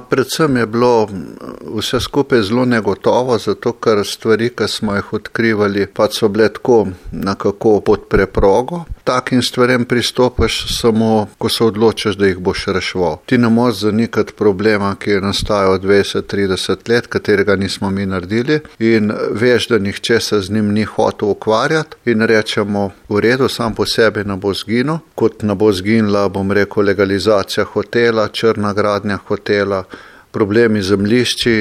Predvsem je bilo vse skupaj zelo negotovo, zato ker stvari, ki smo jih odkrivali, so bile tako nekako pod preprogo. Takim stvarem pristopaš samo, ko se odločiš, da jih boš reševal. Ti ne moreš zanikati problema, ki je nastajal 20-30 let, katerega nismo mi naredili, in veš, da nihče se z njim ni hotel ukvarjati in rečemo, v redu, sam po sebi ne bo zginil, kot ne bo zginila, legalizacija hotela, črna gradnja hotela, problemi zemljišči.